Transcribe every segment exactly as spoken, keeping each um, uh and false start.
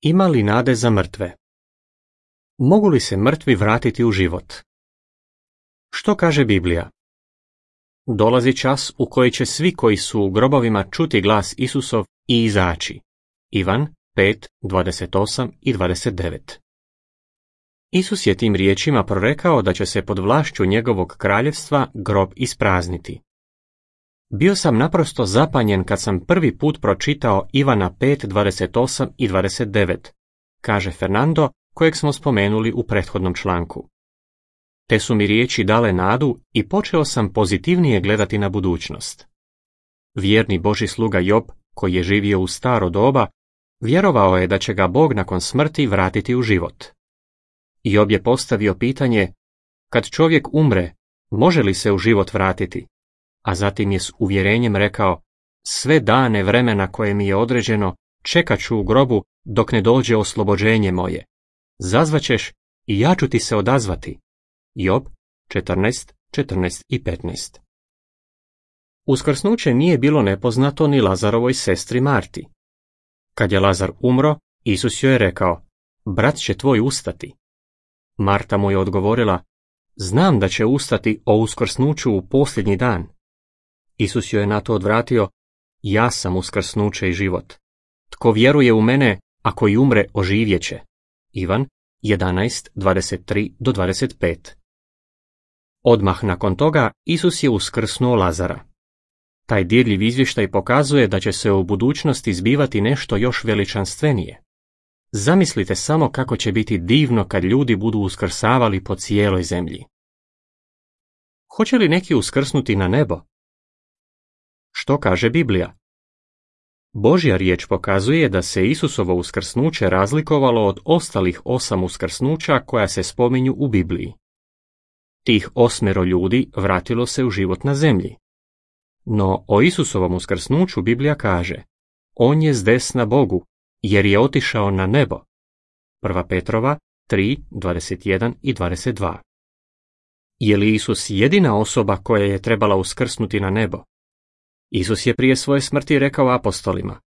Ima li nade za mrtve? Mogu li se mrtvi vratiti u život? Što kaže Biblija? Dolazi čas u koji će svi koji su u grobovima čuti glas Isusov i izaći. Ivan pet, dvadeset osam i dvadeset devet. Isus je tim riječima prorekao da će se pod vlašću njegovog kraljevstva grob isprazniti. Bio sam naprosto zapanjen kad sam prvi put pročitao Ivana pet, dvadeset osam i dvadeset devet, kaže Fernando, kojeg smo spomenuli u prethodnom članku. Te su mi riječi dale nadu i počeo sam pozitivnije gledati na budućnost. Vjerni Božji sluga Job, koji je živio u staro doba, vjerovao je da će ga Bog nakon smrti vratiti u život. Job je postavio pitanje, kad čovjek umre, može li se u život vratiti? A zatim je s uvjerenjem rekao, sve dane vremena koje mi je određeno, čekat ću u grobu dok ne dođe oslobođenje moje. Zazvaćeš i ja ću ti se odazvati. Job četrnaest, četrnaest i petnaest. Uskrsnuće nije bilo nepoznato ni Lazarovoj sestri Marti. Kad je Lazar umro, Isus joj je rekao, brat će tvoj ustati. Marta mu je odgovorila, znam da će ustati o uskrsnuću u posljednji dan. Isus joj je na to odvratio, ja sam uskrsnuće i život. Tko vjeruje u mene, ako i umre, oživjet će. Ivan jedanaest, dvadeset tri do dvadeset pet. Odmah nakon toga Isus je uskrsnuo Lazara. Taj dirljiv izvještaj pokazuje da će se u budućnosti zbivati nešto još veličanstvenije. Zamislite samo kako će biti divno kad ljudi budu uskrsavali po cijeloj zemlji. Hoće li neki uskrsnuti na nebo? Što kaže Biblija? Božja riječ pokazuje da se Isusovo uskrsnuće razlikovalo od ostalih osam uskrsnuća koja se spominju u Bibliji. Tih osmero ljudi vratilo se u život na zemlji. No o Isusovom uskrsnuću Biblija kaže, on je zdesna Bogu, jer je otišao na nebo. Prva Petrova tri, dvadeset jedan i dvadeset dva. Je li Isus jedina osoba koja je trebala uskrsnuti na nebo? Isus je prije svoje smrti rekao apostolima,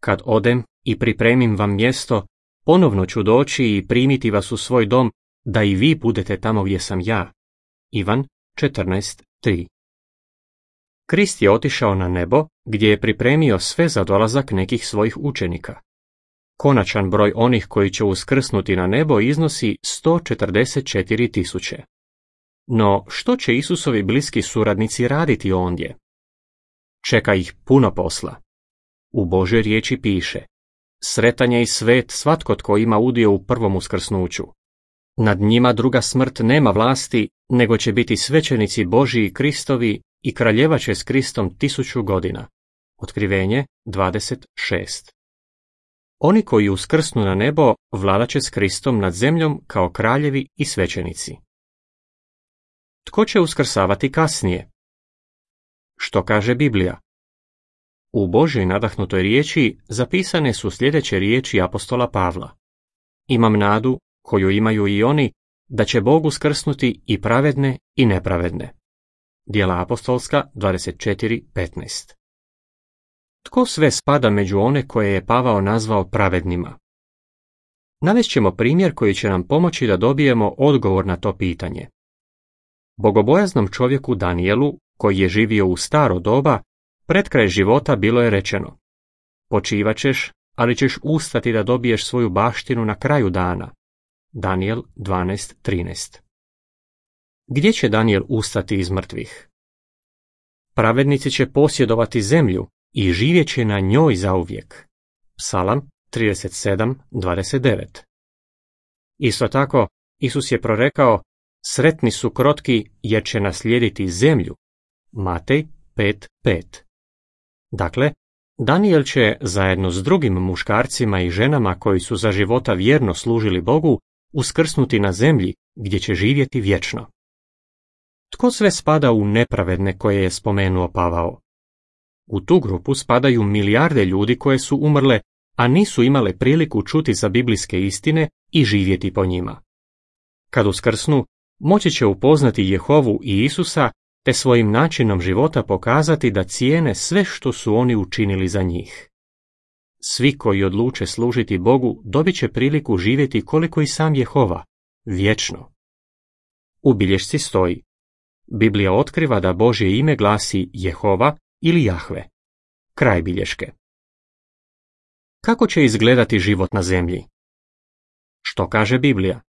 kad odem i pripremim vam mjesto, ponovno ću doći i primiti vas u svoj dom, da i vi budete tamo gdje sam ja. Ivan četrnaest, tri. Krist je otišao na nebo, gdje je pripremio sve za dolazak nekih svojih učenika. Konačan broj onih koji će uskrsnuti na nebo iznosi sto četrdeset četiri tisuće. No, što će Isusovi bliski suradnici raditi ondje? Čeka ih puno posla. U Božoj riječi piše, sretan je i svet svatko tko ima udio u prvom uskrsnuću. Nad njima druga smrt nema vlasti, nego će biti svećenici Božji i Kristovi i kraljevat će s Kristom tisuću godina. Otkrivenje dvadeset šest. Oni koji uskrsnu na nebo vladat će s Kristom nad zemljom kao kraljevi i svećenici. Tko će uskrsavati kasnije? Što kaže Biblija? U Božjoj nadahnutoj riječi zapisane su sljedeće riječi apostola Pavla. Imam nadu, koju imaju i oni, da će Bog uskrsnuti i pravedne i nepravedne. Djela apostolska dvadeset četiri, petnaest. Tko sve spada među one koje je Pavao nazvao pravednima? Navest ćemo primjer koji će nam pomoći da dobijemo odgovor na to pitanje. Bogobojaznom čovjeku Danijelu, koji je živio u staro doba, pred kraj života bilo je rečeno, počivat ćeš, ali ćeš ustati da dobiješ svoju baštinu na kraju dana. Danijel dvanaest, trinaest. Gdje će Danijel ustati iz mrtvih? Pravednici će posjedovati zemlju i živjet će na njoj zauvijek. Psalam trideset sedam, dvadeset devet. Isto tako, Isus je prorekao, sretni su krotki jer će naslijediti zemlju. Matej pet, pet. Dakle, Danijel će, zajedno s drugim muškarcima i ženama koji su za života vjerno služili Bogu, uskrsnuti na zemlji gdje će živjeti vječno. Tko sve spada u nepravedne koje je spomenuo Pavao? U tu grupu spadaju milijarde ljudi koje su umrle, a nisu imale priliku čuti za biblijske istine i živjeti po njima. Kad uskrsnu, moći će upoznati Jehovu i Isusa, te svojim načinom života pokazati da cijene sve što su oni učinili za njih. Svi koji odluče služiti Bogu dobit će priliku živjeti koliko i sam Jehova, vječno. U bilješci stoji: Biblija otkriva da Božje ime glasi Jehova ili Jahve. Kraj bilješke. Kako će izgledati život na zemlji? Što kaže Biblija?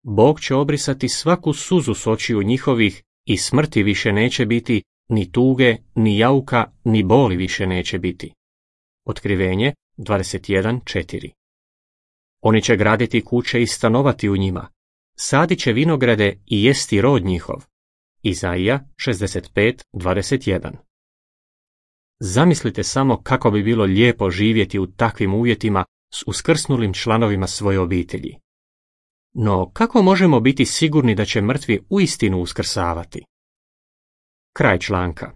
Bog će obrisati svaku suzu s očiju njihovih i smrti više neće biti, ni tuge, ni jauka, ni boli više neće biti. Otkrivenje dvadeset jedan četiri. Oni će graditi kuće i stanovati u njima, sadit će vinograde i jesti rod njihov. Izaija šezdeset pet dvadeset jedan. Zamislite samo kako bi bilo lijepo živjeti u takvim uvjetima s uskrsnulim članovima svoje obitelji. No, kako možemo biti sigurni da će mrtvi uistinu uskrsavati? Kraj članka.